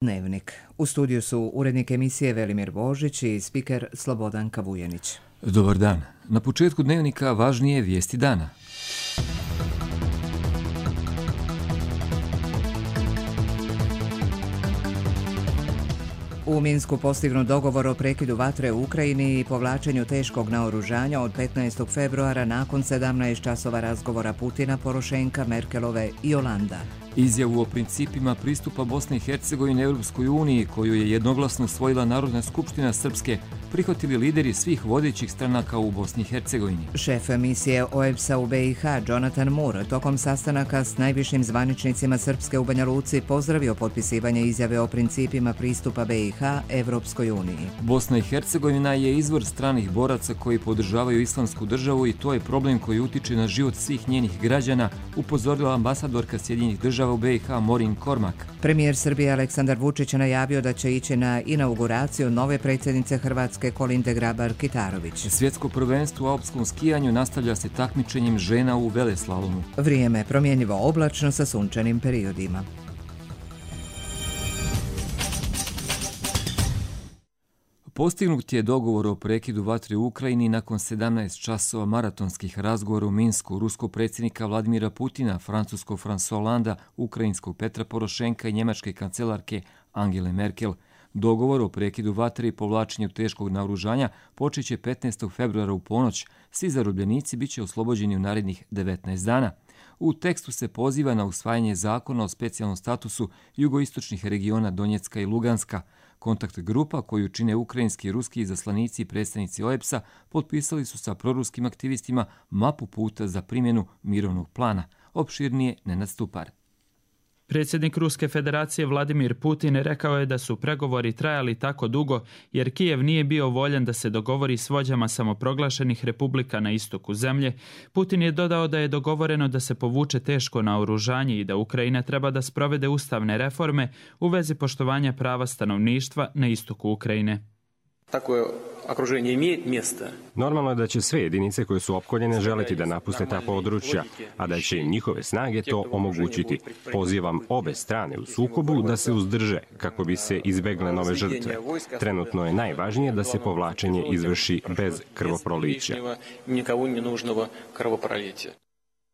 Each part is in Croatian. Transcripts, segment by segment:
Dnevnik. U studiju su urednik emisije Velimir Božić i spiker Slobodan Kavujenić. Dobar dan. Na početku dnevnika važnije vijesti dana. U Minsku postignut dogovor o prekidu vatre u Ukrajini i povlačenju teškog naoružanja od 15. februara nakon 17 časova razgovora Putina, Porošenka, Merkelove i Holanda. Izjavu o principima pristupa Bosne i Hercegovine Europskoj uniji, koju je jednoglasno usvojila Narodna skupština Srpske, prihvatili lideri svih vodećih stranaka u Bosni i Hercegovini. Šef misije OEBS-a u BiH, Jonathan Moore, tokom sastanaka s najvišim zvaničnicima Srpske u Banja Luci pozdravio potpisivanje izjave o principima pristupa BiH Evropskoj uniji. Bosna i Hercegovina je izvor stranih boraca koji podržavaju islamsku državu i to je problem koji utiče na život svih njenih građana, upozorila ambasadorka Sjedinjenih država u BiH Morin Kormak. Premijer Srbije Aleksandar Vučić je najavio da će ići na inauguraciju nove predsjednice Hrvatske Kolinde Grabar-Kitarović. Svjetsko prvenstvo u alpskom skijanju nastavlja se takmičenjem žena u veleslalomu. Vrijeme promjenjivo oblačno sa sunčanim periodima. Postignut je dogovor o prekidu vatre u Ukrajini nakon 17 časova maratonskih razgovora u Minsku ruskog predsjednika Vladimira Putina, francuskog François Hollanda, ukrajinskog Petra Porošenka i njemačke kancelarke Angele Merkel. Dogovor o prekidu vatre i povlačenju teškog naoružanja počet će 15. februara u ponoć. Svi zarobljenici bit će oslobođeni u narednih 19 dana. U tekstu se poziva na usvajanje zakona o specijalnom statusu jugoistočnih regiona Donjecka i Luganska. Kontakt grupa koju čine ukrajinski i ruski izaslanici i predstavnici OEBS-a potpisali su sa proruskim aktivistima mapu puta za primjenu mirovnog plana. Opširnije Nenad Stupar. Predsjednik Ruske federacije Vladimir Putin rekao je da su pregovori trajali tako dugo jer Kijev nije bio voljan da se dogovori s vođama samoproglašenih republika na istoku zemlje. Putin je dodao da je dogovoreno da se povuče teško naoružanje i da Ukrajina treba da sprovede ustavne reforme u vezi poštovanja prava stanovništva na istoku Ukrajine. Takvo okruženje ima mjesta. Normalno je da će sve jedinice koje su opkoljene želiti da napuste ta područja, a da će im njihove snage to omogućiti. Pozivam obe strane u sukobu da se uzdrže kako bi se izbegle nove žrtve. Trenutno je najvažnije da se povlačenje izvrši bez krvoprolića.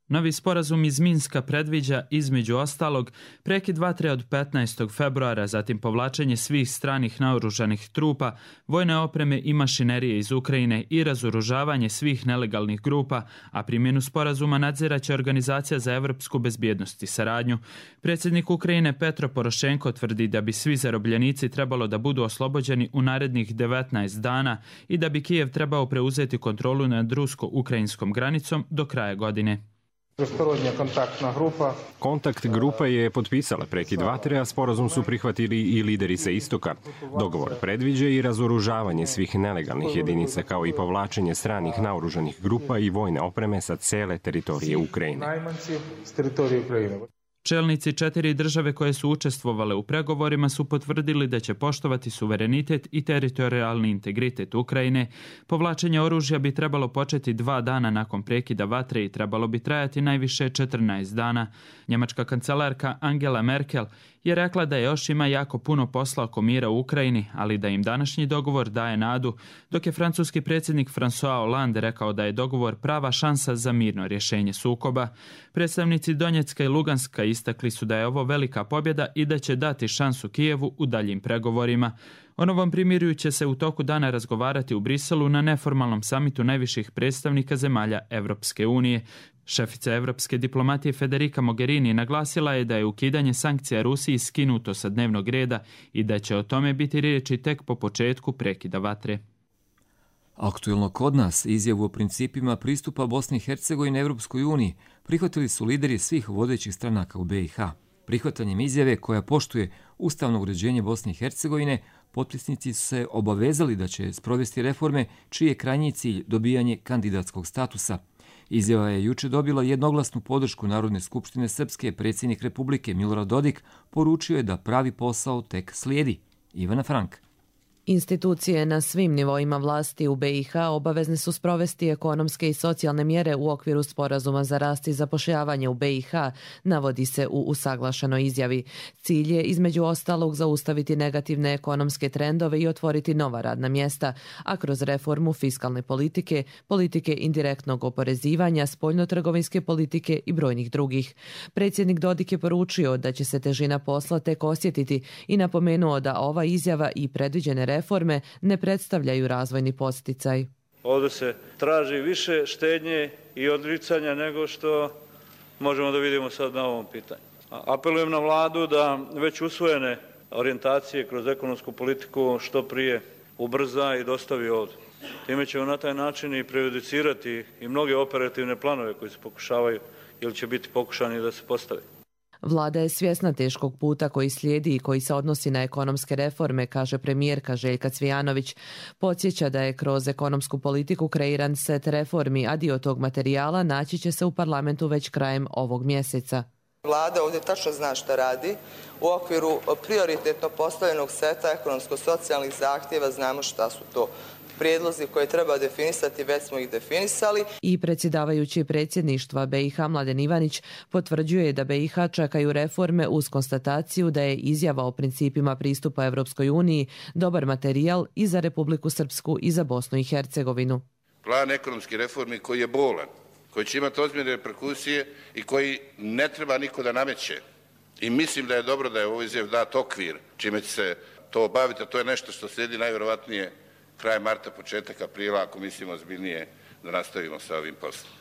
Novi sporazum iz Minska predviđa, između ostalog, prekid vatre od 15. februara, zatim povlačenje svih stranih naoružanih trupa, vojne opreme i mašinerije iz Ukrajine i razoružavanje svih nelegalnih grupa, a primjenu sporazuma nadziraće Organizacija za evropsku bezbjednost i saradnju. Predsjednik Ukrajine Petro Porošenko tvrdi da bi svi zarobljenici trebalo da budu oslobođeni u narednih 19 dana i da bi Kijev trebao preuzeti kontrolu nad rusko-ukrajinskom granicom do kraja godine. Kontakt grupa je potpisala prekid vatre, a sporazum su prihvatili i lideri sa istoka. Dogovor predviđa i razoružavanje svih nelegalnih jedinica kao i povlačenje stranih naoružanih grupa i vojne opreme sa cele teritorije Ukrajine. Čelnici 4 države koje su učestvovale u pregovorima su potvrdili da će poštovati suverenitet i teritorijalni integritet Ukrajine. Povlačenje oružja bi trebalo početi 2 dana nakon prekida vatre i trebalo bi trajati najviše 14 dana. Njemačka kancelarka Angela Merkel je rekla da još ima jako puno posla oko mira u Ukrajini, ali da im današnji dogovor daje nadu, dok je francuski predsjednik François Hollande rekao da je dogovor prava šansa za mirno rješenje sukoba. Predstavnici Donjecka i Luganska istakli su da je ovo velika pobjeda i da će dati šansu Kijevu u daljim pregovorima. O novom primirju će se u toku dana razgovarati u Briselu na neformalnom samitu najviših predstavnika zemalja Evropske unije. Šefica evropske diplomatije Federica Mogherini naglasila je da je ukidanje sankcija Rusiji skinuto sa dnevnog reda i da će o tome biti riječi tek po početku prekida vatre. Aktuelno kod nas izjavu o principima pristupa Bosne i Hercegovine Europskoj uniji prihvatili su lideri svih vodećih stranaka u BiH. Prihvatanjem izjave koja poštuje ustavno uređenje Bosne i Hercegovine, potpisnici su se obavezali da će sprovesti reforme čiji je krajnji cilj dobijanje kandidatskog statusa. Izjava je juče dobila jednoglasnu podršku Narodne skupštine Srpske. Predsjednik Republike Milorad Dodik poručio je da pravi posao tek slijedi. Ivana Frank. Institucije na svim nivoima vlasti u BiH obavezne su sprovesti ekonomske i socijalne mjere u okviru sporazuma za rast i zapošljavanje u BiH, navodi se u usaglašenoj izjavi. Cilj je između ostalog zaustaviti negativne ekonomske trendove i otvoriti nova radna mjesta, a kroz reformu fiskalne politike, politike indirektnog oporezivanja, spoljnotrgovinske politike i brojnih drugih. Predsjednik Dodik je poručio da će se težina posla tek osjetiti i napomenuo da ova izjava i predviđene reforme ne predstavljaju razvojni podsticaj. Ovdje se traži više štednje i odricanja nego što možemo da vidimo sad na ovom pitanju. Apelujem na vladu da već usvojene orijentacije kroz ekonomsku politiku što prije ubrza i dostavi ovdje. Time ćemo na taj način i prejudicirati i mnoge operativne planove koji se pokušavaju ili će biti pokušani da se postave. Vlada je svjesna teškog puta koji slijedi i koji se odnosi na ekonomske reforme, kaže premijerka Željka Cvijanović. Podsjeća da je kroz ekonomsku politiku kreiran set reformi, a dio tog materijala naći će se u parlamentu već krajem ovog mjeseca. Vlada ovdje tačno zna šta radi. U okviru prioritetno postavljenog seta ekonomsko-socijalnih zahtjeva znamo šta su to prijedlozi koje treba definisati, već smo ih definisali. I predsjedavajući predsjedništva BiH Mladen Ivanić potvrđuje da BiH čekaju reforme uz konstataciju da je izjava o principima pristupa Evropskoj uniji dobar materijal i za Republiku Srpsku i za Bosnu i Hercegovinu. Plan ekonomskih reformi koji je bolan, koji će imati ozbiljne reperkusije i koji ne treba niko da nameće. I mislim da je dobro da je ovo izjav dat okvir čime će se to obaviti, a to je nešto što slijedi najvjerovatnije kraj marta, početak aprila, ako mislimo ozbiljnije da nastavimo sa ovim poslom.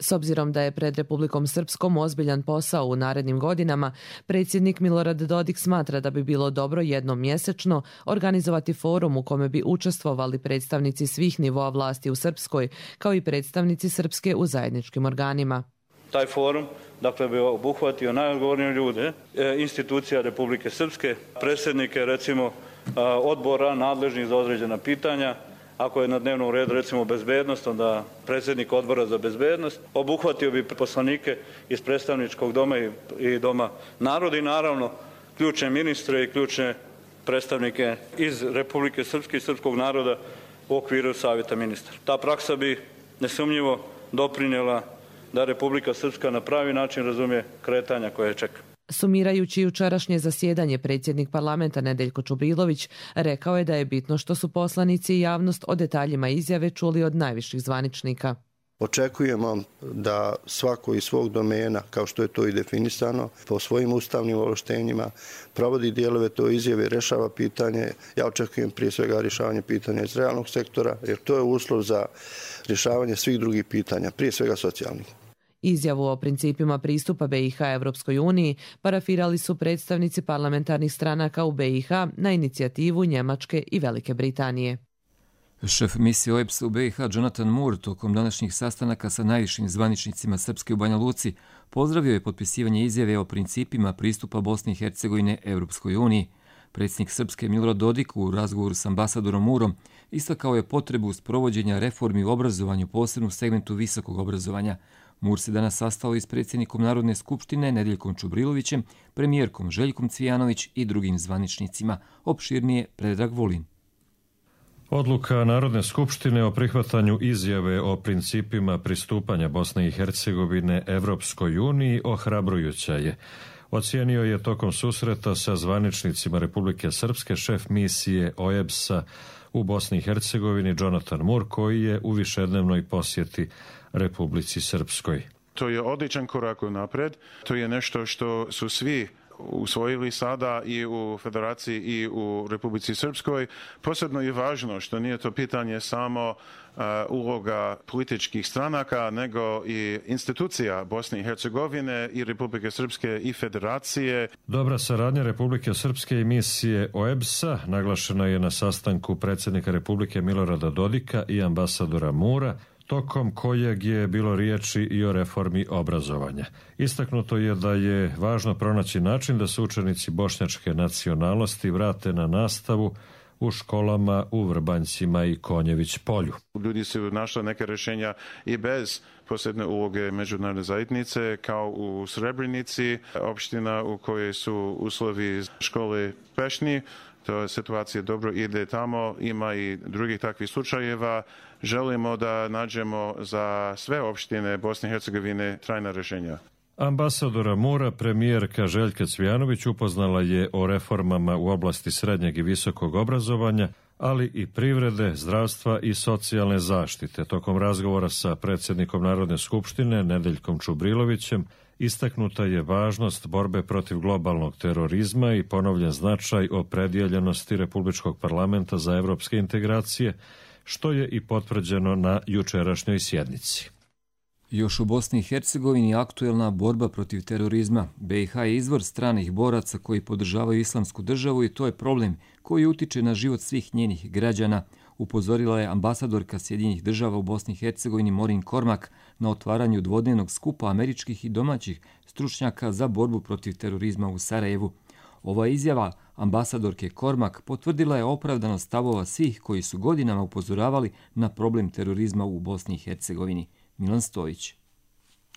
S obzirom da je pred Republikom Srpskom ozbiljan posao u narednim godinama, predsjednik Milorad Dodik smatra da bi bilo dobro jednom mjesečno organizovati forum u kome bi učestvovali predstavnici svih nivoa vlasti u Srpskoj, kao i predstavnici Srpske u zajedničkim organima. Taj forum bi obuhvatio najodgovornije ljude, institucija Republike Srpske, predsjednike recimo odbora nadležnih za određena pitanja. Ako je na dnevnom redu recimo bezbednost, onda predsjednik odbora za bezbednost, obuhvatio bi poslanike iz predstavničkog doma i doma naroda i naravno ključne ministre i ključne predstavnike iz Republike Srpske i srpskog naroda u okviru Savjeta ministara. Ta praksa bi nesumnjivo doprinijela da Republika Srpska na pravi način razumije kretanja koje čeka. Sumirajući jučerašnje zasjedanje, predsjednik parlamenta Nedeljko Čubrilović rekao je da je bitno što su poslanici i javnost o detaljima izjave čuli od najviših zvaničnika. Očekujemo da svako iz svog domena, kao što je to i definisano, po svojim ustavnim ovlaštenjima provodi dijelove to izjave, rešava pitanje. Ja očekujem prije svega rješavanje pitanja iz realnog sektora, jer to je uslov za rješavanje svih drugih pitanja, prije svega socijalnih. Izjavu o principima pristupa BiH Evropskoj uniji parafirali su predstavnici parlamentarnih stranaka u BiH na inicijativu Njemačke i Velike Britanije. Šef misije OEBS-a u BiH Jonathan Moore tokom današnjih sastanaka sa najvišim zvaničnicima Srpske u Banja Luci pozdravio je potpisivanje izjave o principima pristupa Bosne i Hercegovine Evropskoj uniji. Predsjednik Srpske Milorad Dodik u razgovoru s ambasadorom Moorom istakao je potrebu sprovođenja reformi u obrazovanju, posebno u segmentu visokog obrazovanja. Moore se danas sastao i s predsjednikom Narodne skupštine Nedeljkom Čubrilovićem, premijerkom Željkom Cvijanović i drugim zvaničnicima. Opširnije Predrag Vulin. Odluka Narodne skupštine o prihvatanju izjave o principima pristupanja Bosne i Hercegovine Evropskoj uniji ohrabrujuća je. Ocijenio je tokom susreta sa zvaničnicima Republike Srpske šef misije OEBS-a u Bosni i Hercegovini Jonathan Moore, koji je u višednevnoj posjeti Republici Srpskoj. To je odličan korak unaprijed. To je nešto što su svi usvojili sada i u Federaciji i u Republici Srpskoj. Posebno je važno što nije to pitanje samo uloga političkih stranaka, nego i institucija Bosne i Hercegovine i Republike Srpske i Federacije. Dobra saradnja Republike Srpske i misije OEBS-a naglašena je na sastanku predsjednika Republike Milorada Dodika i ambasadora Moora, tokom kojeg je bilo riječi i o reformi obrazovanja. Istaknuto je da je važno pronaći način da se učenici bošnjačke nacionalnosti vrate na nastavu u školama u Vrbanjcima i Konjević polju. Ljudi su našli neke rješenja i bez posebne uloge međunarodne zajednice, kao u Srebrenici, opština u kojoj su uslovi škole pešni. To je situacija dobro ide tamo, ima i drugih takvih slučajeva. Želimo da nađemo za sve opštine Bosne i Hercegovine trajna rješenja. Ambasadora Mura premijerka Željka Cvijanović upoznala je o reformama u oblasti srednjeg i visokog obrazovanja, ali i privrede, zdravstva i socijalne zaštite. Tokom razgovora sa predsjednikom Narodne skupštine Nedeljkom Čubrilovićem istaknuta je važnost borbe protiv globalnog terorizma i ponovljen značaj opredjeljenosti Republičkog parlamenta za evropske integracije, što je i potvrđeno na jučerašnjoj sjednici. Još u Bosni i Hercegovini aktuelna borba protiv terorizma. BiH je izvor stranih boraca koji podržavaju islamsku državu i to je problem koji utiče na život svih njenih građana, upozorila je ambasadorka Sjedinjenih država u Bosni i Hercegovini Maureen Cormack na otvaranju dvodnevnog skupa američkih i domaćih stručnjaka za borbu protiv terorizma u Sarajevu. Ova izjava ambasadorke Cormack potvrdila je opravdanost stavova svih koji su godinama upozoravali na problem terorizma u Bosni i Hercegovini. Milan Stojić.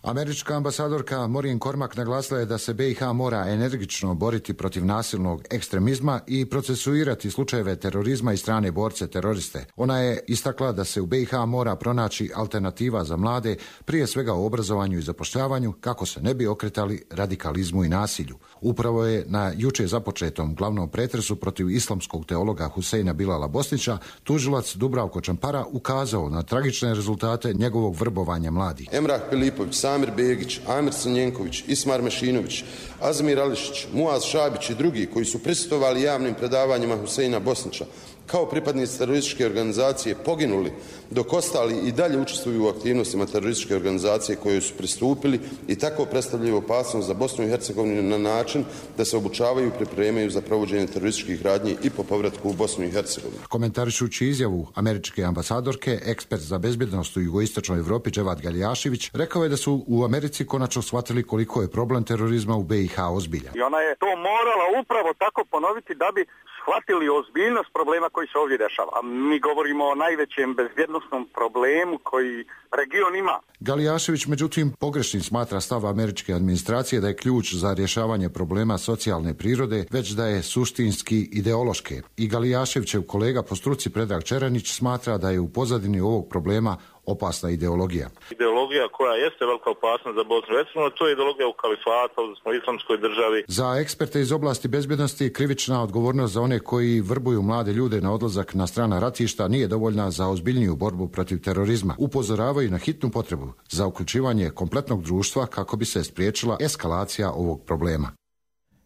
Američka ambasadorka Maureen Cormack naglasila je da se BiH mora energično boriti protiv nasilnog ekstremizma i procesuirati slučajeve terorizma i strane borce teroriste. Ona je istakla da se u BiH mora pronaći alternativa za mlade, prije svega u obrazovanju i zapošljavanju, kako se ne bi okretali radikalizmu i nasilju. Upravo je na juče započetom glavnom pretresu protiv islamskog teologa Huseina Bilala Bosnića tužilac Dubravko Čampara ukazao na tragične rezultate njegovog vrbovanja mladih. Emrah Filipović, Samir Begić, Amir Crnjenković, Ismar Mešinović, Azmir Ališić, Muaz Šabić i drugi koji su prisustvovali javnim predavanjima Huseina Bosnića kao pripadnici terorističke organizacije poginuli, dok ostali i dalje učestvuju u aktivnostima terorističke organizacije koje su pristupili i tako predstavljaju opasnost za Bosnu i Hercegovinu na način da se obučavaju i pripremaju za provođenje terorističkih radnji i po povratku u Bosnu i Hercegovinu. Komentarišući izjavu američke ambasadorke, ekspert za bezbjednost u jugoistočnoj Evropi Dževad Galjašević rekao je da su u Americi konačno shvatili koliko je problem terorizma u BiH ozbiljan. I ona je to morala upravo tako ponoviti da bi shvatili ozbiljnost problema koji se ovdje dešava. A mi govorimo o najvećem bezbjednosnom problemu koji region ima. Galijašević, međutim, pogrešnim smatra stav američke administracije da je ključ za rješavanje problema socijalne prirode, već da je suštinski ideološke. I Galijaševićev kolega po struci Predrag Čeranić smatra da je u pozadini ovog problema opasna ideologija. Ideologija koja jeste velika opasnost za Bosnu i Hercegovinu, to je ideologija u kalifatu, odnosno islamskoj državi. Za eksperte iz oblasti bezbjednosti krivična odgovornost za one koji vrbuju mlade ljude na odlazak na strana ratišta nije dovoljna za ozbiljniju borbu protiv terorizma. Upozoravaju na hitnu potrebu za uključivanje kompletnog društva kako bi se spriječila eskalacija ovog problema.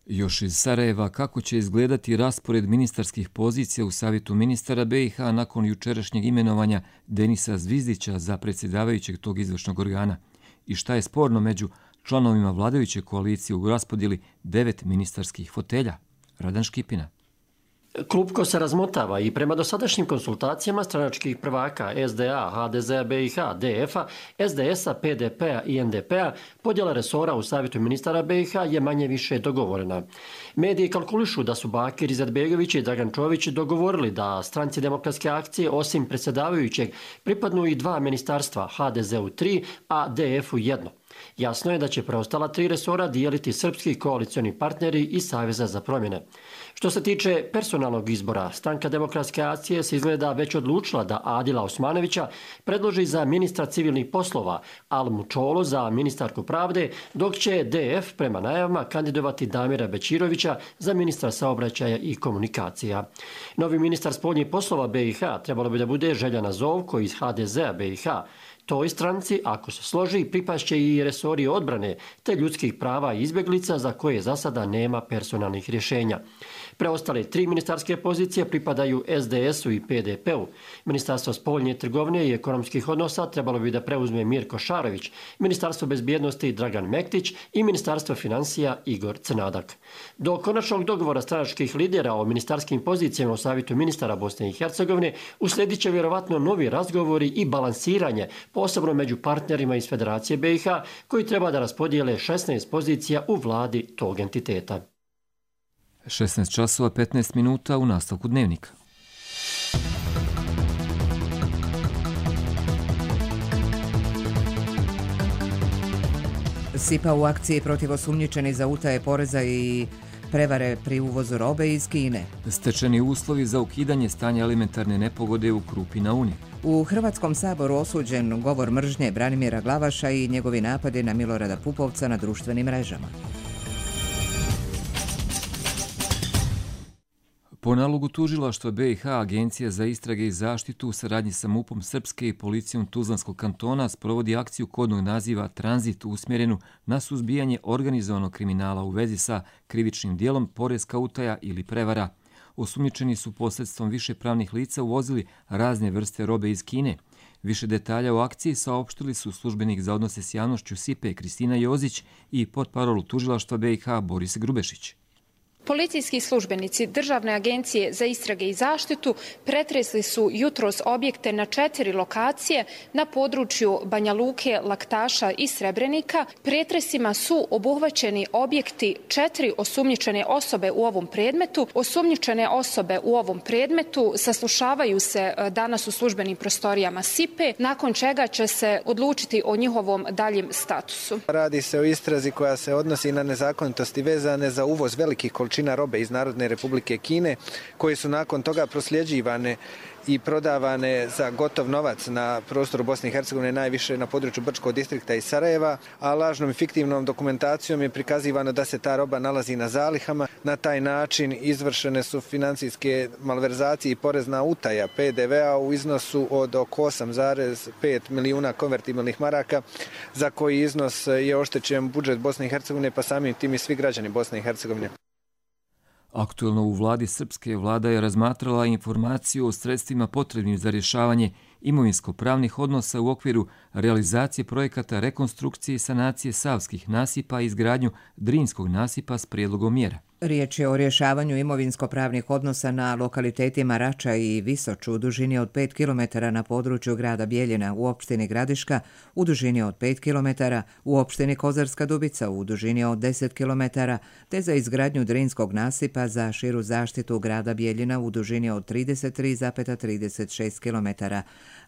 Još iz Sarajeva, kako će izgledati raspored ministarskih pozicija u Savjetu ministara BiH nakon jučerašnjeg imenovanja Denisa Zvizdića za predsjedavajućeg tog izvršnog organa? I šta je sporno među članovima vladajuće koalicije u raspodjeli 9 ministarskih fotelja? Radan Škipina. Klupko se razmotava i prema dosadašnjim konsultacijama stranačkih prvaka SDA, HDZ-a BiH, DF-a, SDS-a, PDP-a i NDP-a podjela resora u Savjetu ministara BiH je manje više dogovorena. Mediji kalkulišu da su Bakir Izetbegović i Dragan Čović dogovorili da stranci demokratske akcije osim predsjedavajućeg pripadnu i 2 ministarstva, HDZ-u 3, a DF-u 1. Jasno je da će preostala 3 resora dijeliti srpski koalicioni partneri i Saveza za promjene. Što se tiče personalnog izbora, stranka demokratske akcije se izgleda već odlučila da Adila Osmanovića predloži za ministra civilnih poslova, Almu Čolo za ministarku pravde, dok će DF prema najavama kandidovati Damira Bećirovića za ministra saobraćaja i komunikacija. Novi ministar spoljnih poslova BiH trebalo bi da bude Željana Zovko iz HDZ-a BiH. Toj stranci, ako se složi, pripašće i resori odbrane te ljudskih prava i izbjeglica za koje za sada nema personalnih rješenja. Preostale 3 ministarske pozicije pripadaju SDS-u i PDP-u. Ministarstvo spoljne trgovine i ekonomskih odnosa trebalo bi da preuzme Mirko Šarović, Ministarstvo bezbjednosti Dragan Mektić i Ministarstvo financija Igor Crnadak. Do konačnog dogovora stranačkih lidera o ministarskim pozicijama u Savjetu ministara Bosne i Hercegovine uslijedit će vjerovatno novi razgovori i balansiranje, posebno među partnerima iz Federacije BiH, koji treba da raspodijele 16 pozicija u vladi tog entiteta. 16 časova 15 minuta u nastavku dnevnika. SIPA u akciji protiv osumnjičenih za utaje poreza i prevare pri uvozu robe iz Kine. Stečeni uslovi za ukidanje stanja elementarne nepogode u Krupi na Uni. U Hrvatskom saboru osuđen govor mržnje Branimira Glavaša i njegovi napadi na Milorada Pupovca na društvenim mrežama. Po nalogu tužilaštva BiH, Agencija za istrage i zaštitu u saradnji sa MUP-om Srpske i policijom Tuzlanskog kantona sprovodi akciju kodnog naziva Tranzit usmjerenu na suzbijanje organizovanog kriminala u vezi sa krivičnim dijelom poreska utaja ili prevara. Osumnjičeni su posredstvom više pravnih lica uvozili razne vrste robe iz Kine. Više detalja o akciji saopštili su službenik za odnose s javnošću SIPE Kristina Jozić i potparol tužilaštva BiH Boris Grubešić. Policijski službenici Državne agencije za istrage i zaštitu pretresli su jutros objekte na 4 lokacije na području Banja Luke, Laktaša i Srebrenika. Pretresima su obuhvaćeni objekti 4 osumnjičene osobe u ovom predmetu. Osumnjičene osobe u ovom predmetu saslušavaju se danas u službenim prostorijama SIPE, nakon čega će se odlučiti o njihovom daljem statusu. Radi se o istrazi koja se odnosi na nezakonitosti vezane za uvoz velikih količina robe iz Narodne Republike Kine, koje su nakon toga prosljeđivane i prodavane za gotov novac na prostoru Bosne i Hercegovine, najviše na području Brčkog distrikta i Sarajeva, a lažnom i fiktivnom dokumentacijom je prikazivano da se ta roba nalazi na zalihama. Na taj način izvršene su financijske malverzacije i porezna utaja PDV-a u iznosu od oko 8,5 milijuna konvertibilnih maraka, za koji iznos je oštećen budžet Bosne i Hercegovine, pa samim tim i svi građani Bosne i Hercegovine. Aktuelno u vladi Srpske vlada je razmatrala informaciju o sredstvima potrebnim za rješavanje imovinsko-pravnih odnosa u okviru realizacije projekata rekonstrukcije i sanacije savskih nasipa i izgradnju Drinskog nasipa s prijedlogom mjera. Riječ je o rješavanju imovinsko-pravnih odnosa na lokalitetima Rača i Visoču u dužini od 5 km na području grada Bijeljina u opštini Gradiška, u dužini od 5 km u opštini Kozarska Dubica u dužini od 10 km, te za izgradnju Drinskog nasipa za širu zaštitu grada Bijeljina u dužini od 33,36 km.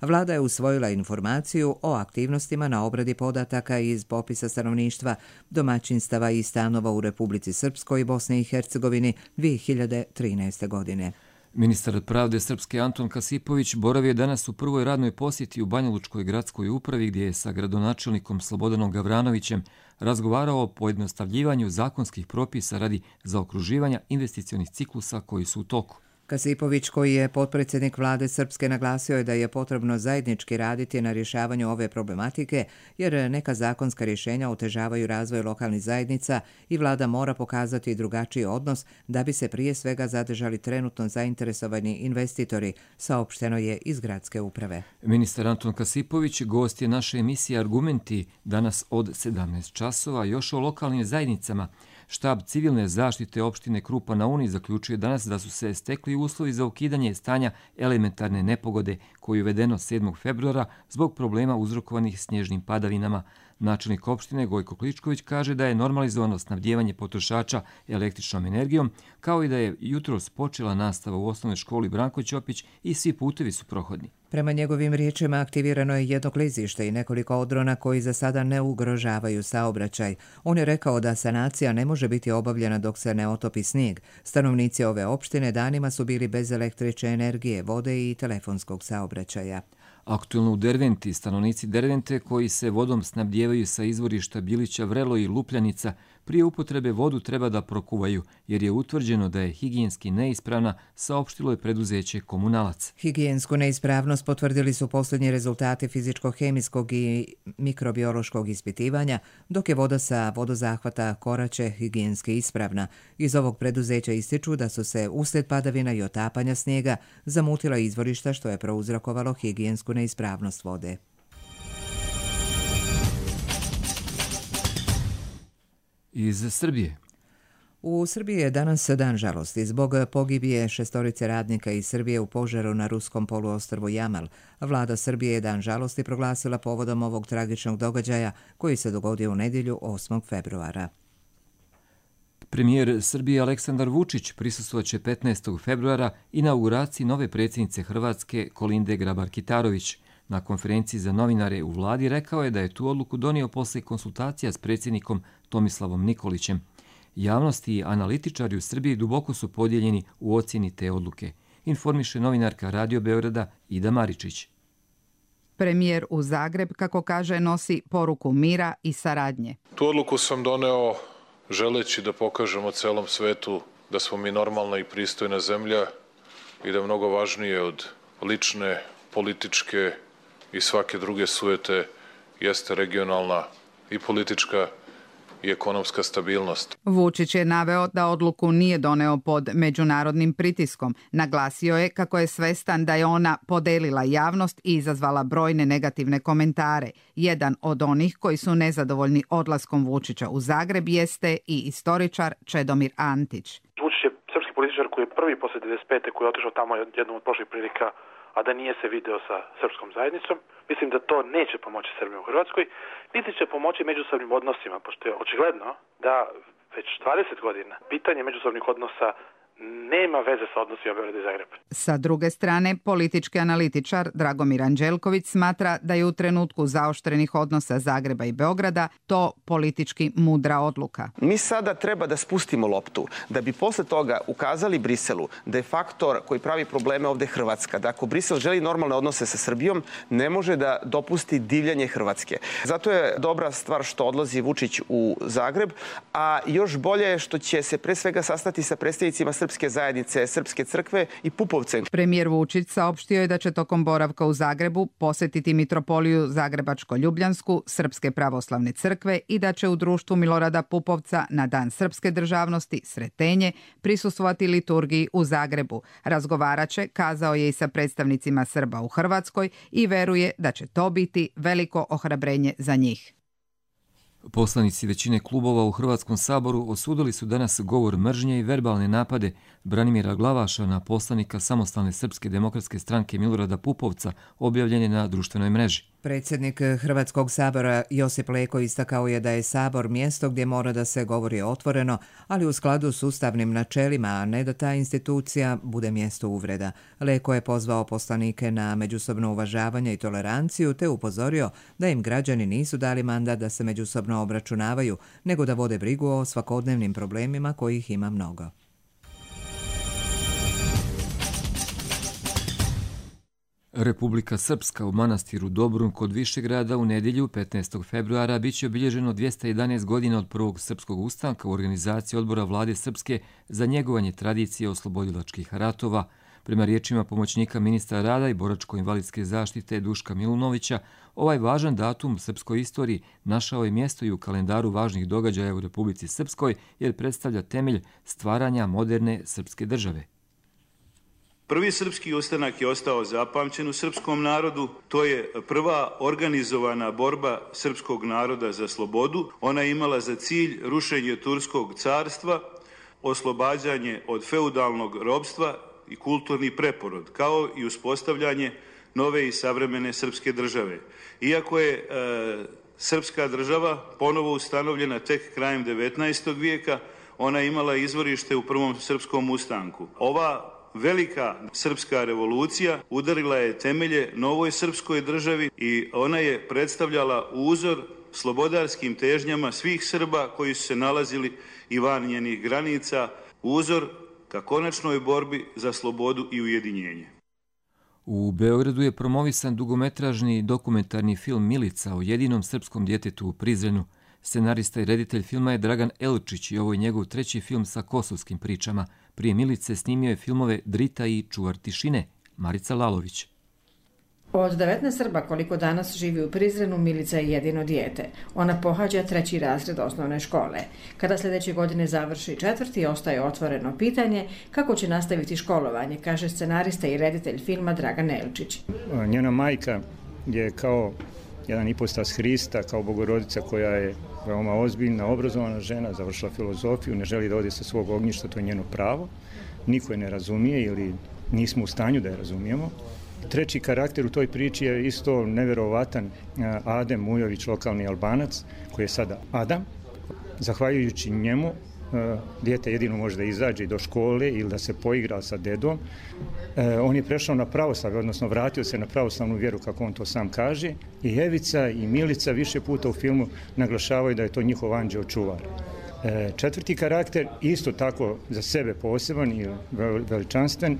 Vlada je usvojila informaciju o aktivnostima na obradi podataka iz popisa stanovništva, domaćinstava i stanova u Republici Srpskoj i Bosni i Hercegovini 2013. godine. Ministar pravde Srpske Anton Kasipović boravio je danas u prvoj radnoj posjeti u Banjalučkoj gradskoj upravi gdje je sa gradonačelnikom Slobodanom Gavranovićem razgovarao o pojednostavljivanju zakonskih propisa radi zaokruživanja investicionih ciklusa koji su u toku. Kasipović, koji je potpredsjednik vlade Srpske, naglasio je da je potrebno zajednički raditi na rješavanju ove problematike, jer neka zakonska rješenja otežavaju razvoj lokalnih zajednica i vlada mora pokazati drugačiji odnos da bi se prije svega zadržali trenutno zainteresovani investitori, saopšteno je iz gradske uprave. Ministar Anton Kasipović gost je naše emisije Argumenti danas od 17 časova. Još o lokalnim zajednicama. Štab civilne zaštite opštine Krupa na Uni zaključuje danas da su se stekli uslovi za ukidanje stanja elementarne nepogode koji je uvedeno 7. februara zbog problema uzrokovanih snježnim padavinama. Načelnik opštine Gojko Kličković kaže da je normalizovano snabdijevanje potrošača električnom energijom, kao i da je jutros počela nastava u osnovnoj školi Branko Ćopić i svi putevi su prohodni. Prema njegovim riječima aktivirano je jedno klizište i nekoliko odrona koji za sada ne ugrožavaju saobraćaj. On je rekao da sanacija ne može biti obavljena dok se ne otopi snijeg. Stanovnici ove opštine danima su bili bez električne energije, vode i telefonskog saobraćaja. Aktuelno u Derventi, stanovnici Dervente koji se vodom snabdijevaju sa izvorišta Bilića, Vrelo i Lupljanica, prije upotrebe vodu treba da prokuvaju, jer je utvrđeno da je higijenski neispravna, saopštilo je preduzeće Komunalac. Higijensku neispravnost potvrdili su posljednji rezultati fizičko-hemijskog i mikrobiološkog ispitivanja, dok je voda sa vodozahvata Koraće higijenski ispravna. Iz ovog preduzeća ističu da su se uslijed padavina i otapanja snijega zamutila izvorišta, što je prouzrokovalo higijensku neispravnost vode. Iz Srbije. U Srbiji je danas dan žalosti zbog pogibije 6 radnika iz Srbije u požaru na ruskom poluostrvu Jamal. Vlada Srbije je dan žalosti proglasila povodom ovog tragičnog događaja koji se dogodio u nedjelju 8. februara. Premijer Srbije Aleksandar Vučić prisustvovat će 15. februara inauguraciji nove predsjednice Hrvatske Kolinde Grabar-Kitarović. Na konferenciji za novinare u vladi rekao je da je tu odluku donio poslije konsultacija s predsjednikom Tomislavom Nikolićem. Javnost i analitičari u Srbiji duboko su podijeljeni u ocjeni te odluke, informiše novinarka Radio Beograda Ida Maričić. Premijer u Zagreb, kako kaže, nosi poruku mira i saradnje. Tu odluku sam doneo želeći da pokažemo celom svetu da smo mi normalna i pristojna zemlja i da je mnogo važnije od lične, političke i svake druge sujete jeste regionalna i politička i ekonomska stabilnost. Vučić je naveo da odluku nije doneo pod međunarodnim pritiskom. Naglasio je kako je svestan da je ona podelila javnost i izazvala brojne negativne komentare. Jedan od onih koji su nezadovoljni odlaskom Vučića u Zagreb jeste i istoričar Čedomir Antić. Vučić je srpski političar koji je prvi posle 95. koji je otišao tamo jednom od prošlih prilika, a da nije se video sa srpskom zajednicom. Mislim da to neće pomoći Srbiji u Hrvatskoj, niti će pomoći međusobnim odnosima, pošto je očigledno da već 20 godina pitanje međusobnih odnosa nema veze sa odnosima Beograda i Zagreba. Sa druge strane, politički analitičar Dragomir Anđelković smatra da je u trenutku zaoštrenih odnosa Zagreba i Beograda to politički mudra odluka. Mi sada treba da spustimo loptu, da bi posle toga ukazali Briselu da je faktor koji pravi probleme ovde Hrvatska, da ako Brisel želi normalne odnose sa Srbijom, ne može da dopusti divljanje Hrvatske. Zato je dobra stvar što odlazi Vučić u Zagreb, a još bolje je što će se pre svega sastati sa predstavnicima Srpske zajednice, Srpske crkve i Pupovce. Premijer Vučić saopštio je da će tokom boravka u Zagrebu posetiti mitropoliju Zagrebačko-Ljubljansku, Srpske pravoslavne crkve i da će u društvu Milorada Pupovca na Dan srpske državnosti Sretenje prisustvovati liturgiji u Zagrebu. Razgovarat će, kazao je, i sa predstavnicima Srba u Hrvatskoj i veruje da će to biti veliko ohrabrenje za njih. Poslanici većine klubova u Hrvatskom saboru osudili su danas govor mržnje i verbalne napade Branimira Glavaša na poslanika Samostalne srpske demokratske stranke Milorada Pupovca, objavljene na društvenoj mreži. Predsjednik Hrvatskog sabora Josip Leko istakao je da je sabor mjesto gdje mora da se govori otvoreno, ali u skladu s ustavnim načelima, a ne da ta institucija bude mjesto uvreda. Leko je pozvao poslanike na međusobno uvažavanje i toleranciju, te upozorio da im građani nisu dali mandat da se međusobno obračunavaju, nego da vode brigu o svakodnevnim problemima kojih ima mnogo. Republika Srpska u manastiru Dobrun kod Višegrada u nedjelju 15. februara biće obilježeno 211 godina od prvog srpskog ustanka u organizaciji odbora vlade Srpske za njegovanje tradicije oslobodilačkih ratova. Prema riječima pomoćnika ministra rada i boračko-invalidske zaštite Duška Milunovića, ovaj važan datum u srpskoj istoriji našao je mjesto i u kalendaru važnih događaja u Republici Srpskoj jer predstavlja temelj stvaranja moderne srpske države. Prvi srpski ustanak je ostao zapamćen u srpskom narodu. To je prva organizovana borba srpskog naroda za slobodu. Ona je imala za cilj rušenje Turskog carstva, oslobađanje od feudalnog ropstva i kulturni preporod, kao i uspostavljanje nove i savremene srpske države. Iako je srpska država ponovo ustanovljena tek krajem 19. vijeka, ona je imala izvorište u prvom srpskom ustanku. Ova velika srpska revolucija udarila je temelje novoj srpskoj državi i ona je predstavljala uzor slobodarskim težnjama svih Srba koji su se nalazili i van njenih granica, uzor ka konačnoj borbi za slobodu i ujedinjenje. U Beogradu je promovisan dugometražni dokumentarni film Milica o jedinom srpskom djetetu u Prizrenu. Scenarista i reditelj filma je Dragan Elčić i ovo je njegov treći film sa kosovskim pričama. Prije Milice snimio je filmove Drita i Čuvar tišine. Marica Lalović. Od 19 Srba koliko danas živi u Prizrenu, Milica je jedino dijete. Ona pohađa 3. razred osnovne škole. Kada sljedeće godine završi 4. ostaje otvoreno pitanje kako će nastaviti školovanje, kaže scenarista i reditelj filma Dragan Elčić. Njena majka je kao jedan ipostas Hrista, kao Bogorodica koja je veoma ozbiljna, obrazovana žena, završila filozofiju, ne želi da ode sa svog ognjišta, to je njeno pravo. Niko je ne razumije ili nismo u stanju da je razumijemo. Treći karakter u toj priči je isto neverovatan Adem Mujović, lokalni Albanac, koji je sada Adam. Zahvaljujući njemu dijete jedino može da izađe do škole ili da se poigra sa dedom. On je prešao na pravoslavlje, odnosno vratio se na pravoslavnu vjeru, kako on to sam kaže. I Evica i Milica više puta u filmu naglašavaju da je to njihov anđeo čuvar. Četvrti karakter, isto tako za sebe poseban i veličanstven,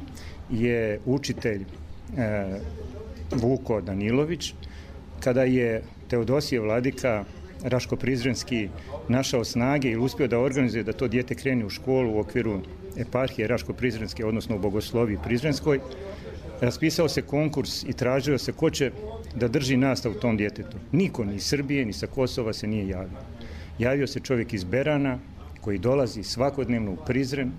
je učitelj Vuko Danilović. Kada je Teodosije vladika Raško-Prizrenski našao snage i uspio da organizuje da to dijete krene u školu u okviru eparhije Raško-Prizrenske, odnosno u Bogosloviji Prizrenskoj, raspisao se konkurs i tražio se ko će da drži nastavu tom djetetu. Niko ni iz Srbije ni sa Kosova se nije javio. Javio se čovjek iz Berana koji dolazi svakodnevno u Prizren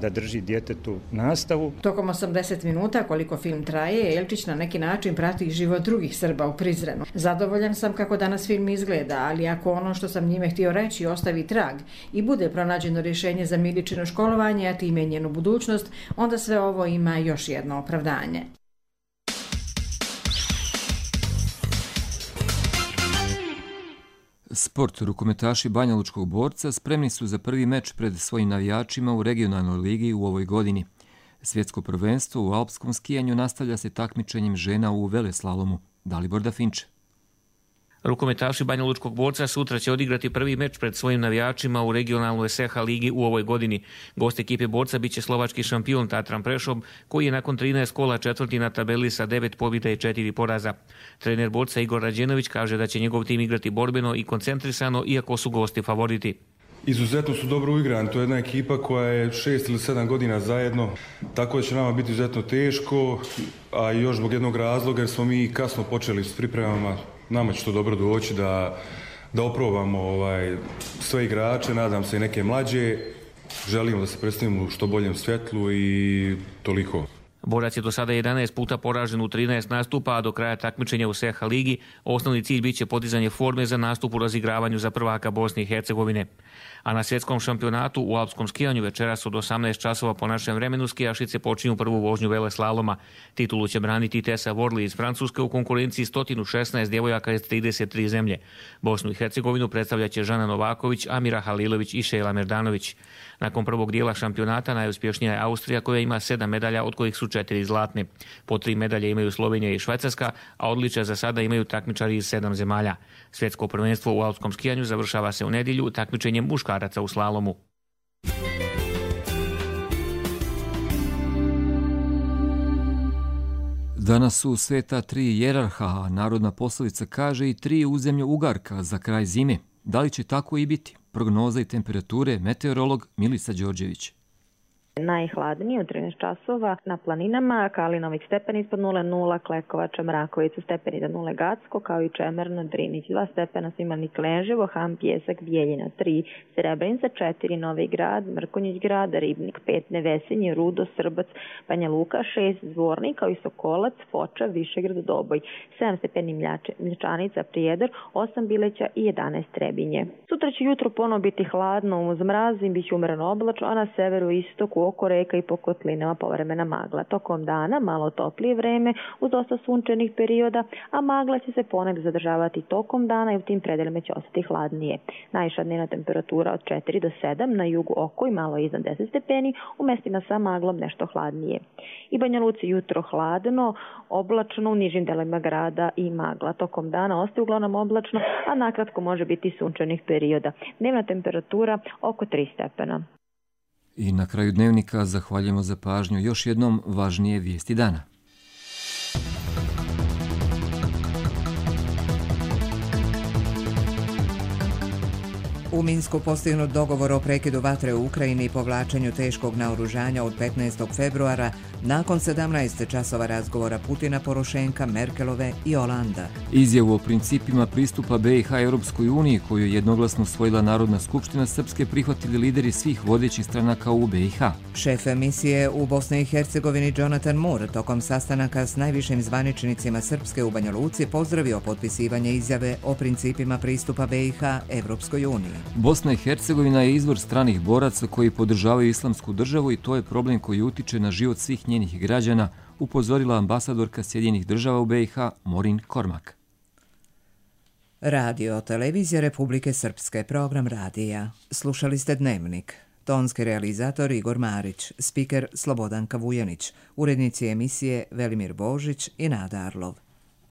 da drži djetetu nastavu. Tokom 80 minuta koliko film traje, Elčić na neki način prati život drugih Srba u Prizrenu. Zadovoljan sam kako danas film izgleda, ali ako ono što sam njime htio reći ostavi trag i bude pronađeno rješenje za Miličino školovanje, a time njenu budućnost, onda sve ovo ima još jedno opravdanje. Sport. Rukometaši Banjalučkog Borca spremni su za prvi meč pred svojim navijačima u regionalnoj ligi u ovoj godini. Svjetsko prvenstvo u alpskom skijanju nastavlja se takmičenjem žena u veleslalomu. Dalibor Dafinče. Rukometaši Banjalučkog Borca sutra će odigrati prvi meč pred svojim navijačima u regionalnoj SH ligi u ovoj godini. Gost ekipe Borca biće slovački šampion Tatran Prešov, koji je nakon 13 kola četvrti na tabeli sa 9 pobjeda i 4 poraza. Trener Borca Igor Rađenović kaže da će njegov tim igrati borbeno i koncentrisano, iako su gosti favoriti. Izuzetno su dobro uigrani, to je jedna ekipa koja je 6 ili 7 godina zajedno, tako da će nama biti izuzetno teško, a još zbog jednog razloga jer smo mi kasno počeli s pripremama. Nama će to dobro doći da oprobamo sve igrače, nadam se i neke mlađe. Želimo da se predstavimo u što boljem svjetlu i toliko. Borac je do sada 11 puta poražen u 13 nastupa, a do kraja takmičenja u SH ligi osnovni cilj biće podizanje forme za nastup u razigravanju za prvaka Bosne i Hercegovine. A na svjetskom šampionatu u alpskom skijanju večeras od 18 časova po našem vremenu skijašice počinju prvu vožnju veleslaloma. Titulu će braniti Tessa Worley iz Francuske u konkurenciji 116 djevojaka iz 33 zemlje. Bosnu i Hercegovinu predstavljaće Žana Novaković, Amira Halilović i Šejla Merdanović. Nakon prvog dijela šampionata najuspješnija je Austrija koja ima 7 medalja, od kojih su 4 zlatne. Po 3 medalje imaju Slovenija i Švajcarska, a odličja za sada imaju takmičari iz 7 zemalja. Svjetsko prvenstvo u alpskom skijanju završava se u nedjelju takmičenjem muškaraca u slalomu. Danas su sveta 3 jerarha, a narodna poslovica kaže i 3 u zemlju ugarka za kraj zime. Da li će tako i biti? Prognoza i temperature, meteorolog Milica Đorđević. Najhladnije u 13 časova na planinama, Kalinovih stepeni ispod 0,0, Klekovača, Mrakovica stepeni do 0, Gacko, kao i Čemerno, Drinić 2 stepena, Smiljnik, Lenževo, Ham, Pjesak, Bijeljina 3, Srebrenica 4, Novi Grad, Mrkonjić Grad, Ribnik 5, Nevesinje, Rudo, Srbac, Banja Luka 6, Zvornik, kao i Sokolac, Foča, Višegrad, Doboj, 7 stepeni Mljačanica, Prijedor, 8 Bileća i 11 Trebinje. Sutra će jutro ponovo biti hladno uz mraz, biće umereno oblačno, a na severu i istoku oko reka i po kotlinama povremena magla. Tokom dana malo toplije vreme uz dosta sunčanih perioda, a magla će se ponegdje zadržavati tokom dana i u tim predelima će ostati hladnije. Najviša dnevna temperatura od 4 do 7, na jugu oko i malo iznad 10 stepeni, u mestima sa maglom nešto hladnije. I Banja Luci jutro hladno, oblačno u nižim delovima grada i magla. Tokom dana ostaje uglavnom oblačno, a nakratko može biti sunčanih perioda. Dnevna temperatura oko 3 stepena. I na kraju dnevnika zahvaljujemo za pažnju još jednom važnije vijesti dana. U Minsku postignut dogovor o prekidu vatre u Ukrajini i povlačenju teškog naoružanja od 15. februara nakon 17 časova razgovora Putina, Porošenka, Merkelove i Olanda. Izjavu o principima pristupa BiH Europskoj uniji, koju je jednoglasno usvojila Narodna skupština Srpske, prihvatili lideri svih vodećih stranaka u BiH. Šef misije u Bosni i Hercegovini Jonathan Moore tokom sastanaka s najvišim zvaničnicima Srpske u Banja Luci pozdravio potpisivanje izjave o principima pristupa BiH Europskoj uniji. Bosna i Hercegovina je izvor stranih boraca koji podržavaju islamsku državu i to je problem koji utiče na život svih njenih građana, upozorila ambasadorka Sjedinjenih država u BiH Morin Kormak. Radio televizija Republike Srpske, program radija. Slušali ste Dnevnik. tonski realizator Igor Marić, spiker Slobodanka Vujanić, urednici emisije Velimir Božić i Nada Arlov.